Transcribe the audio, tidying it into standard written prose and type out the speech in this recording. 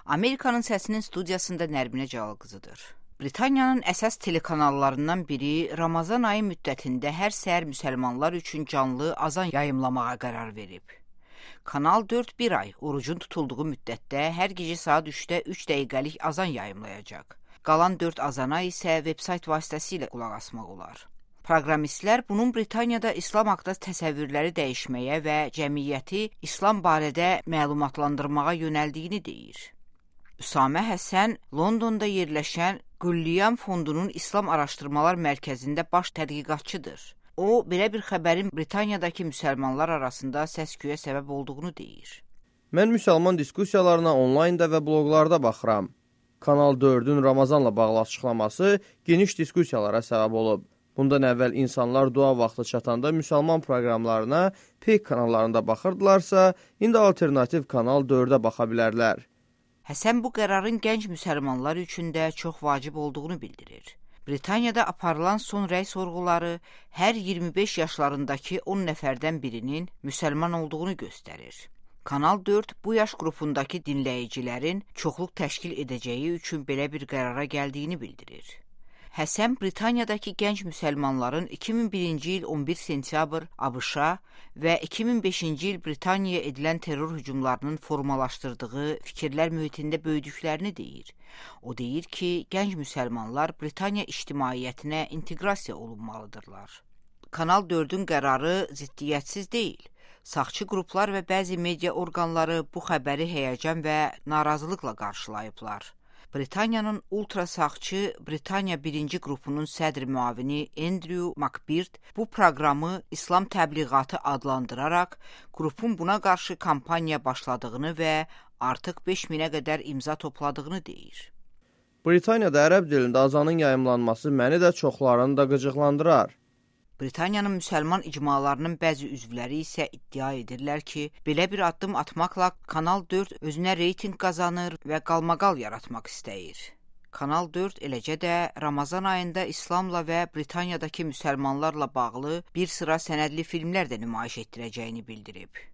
Amerikanın Səsinin studiyasında Nərminə Cəlal-qızıdır. Britaniyanın əsas telekanallarından biri Ramazan ayı müddətində hər səhər müsəlmanlar üçün canlı azan yayımlamağa qərar verib. Kanal 4 bir ay orucun tutulduğu müddətdə hər gecə saat 3-də 3 dəqiqəlik azan yayımlayacaq. Qalan 4 azana isə veb-sayt vasitəsilə qulaq asmaq olar. Proqramistlər bunun Britaniyada İslam haqqında təsəvvürləri dəyişməyə və cəmiyyəti İslam barədə məlumatlandırmağa yönəldiyini deyir. Üsamə Həsən Londonda yerləşən Qulliyam Fondunun İslam Araşdırmalar Mərkəzində baş tədqiqatçıdır. O, belə bir xəbərin Britaniyadakı müsəlmanlar arasında səs-küyə səbəb olduğunu deyir. Mən müsəlman diskussiyalarına onlaynda və bloqlarda baxıram. Kanal 4-ün Ramazanla bağlı açıqlaması geniş diskussiyalara səbəb olub. Bundan əvvəl insanlar dua vaxtı çatanda müsəlman proqramlarına peyk kanallarında baxırdılarsa, indi alternativ Kanal 4-ə baxa bilərlər. Həsən bu qərarın gənc müsəlmanlar üçün də çox vacib olduğunu bildirir. Britaniyada aparılan son rəy sorğuları hər 25 yaşlarındakı 10 nəfərdən birinin müsəlman olduğunu göstərir. Kanal 4 bu yaş qrupundakı dinləyicilərin çoxluq təşkil edəcəyi üçün belə bir qərara gəldiyini bildirir. Həsən Britaniyadakı gənc müsəlmanların 2001-ci il 11 sentyabr ABŞ-a və 2005-ci il Britaniyaya edilən terror hücumlarının formalaşdırdığı fikirlər mühitində böyüdüklərini deyir. O deyir ki, gənc müsəlmanlar Britaniya ictimaiyyətinə inteqrasiya olunmalıdırlar. Kanal 4-ün qərarı ziddiyyətsiz deyil. Sağçı qruplar və bəzi media orqanları bu xəbəri həyəcan və narazılıqla qarşılayıblar. Britaniyanın ultrasağçı Britaniya 1-ci qrupunun sədr müavini Andrew Macbeard bu proqramı İslam təbliğatı adlandıraraq qrupun buna qarşı kampaniya başladığını və artıq 5000-ə qədər imza topladığını deyir. Britaniyada ərəb dilində azanın yayımlanması məni də çoxlarını da qıcıqlandırar. Britaniyanın müsəlman icmalarının bəzi üzvləri isə iddia edirlər ki, belə bir addım atmaqla Kanal 4 özünə reytinq qazanır və qalmaqal yaratmaq istəyir. Kanal 4 eləcə də Ramazan ayında İslamla və Britaniyadakı müsəlmanlarla bağlı bir sıra sənədli filmlər də nümayiş etdirəcəyini bildirib.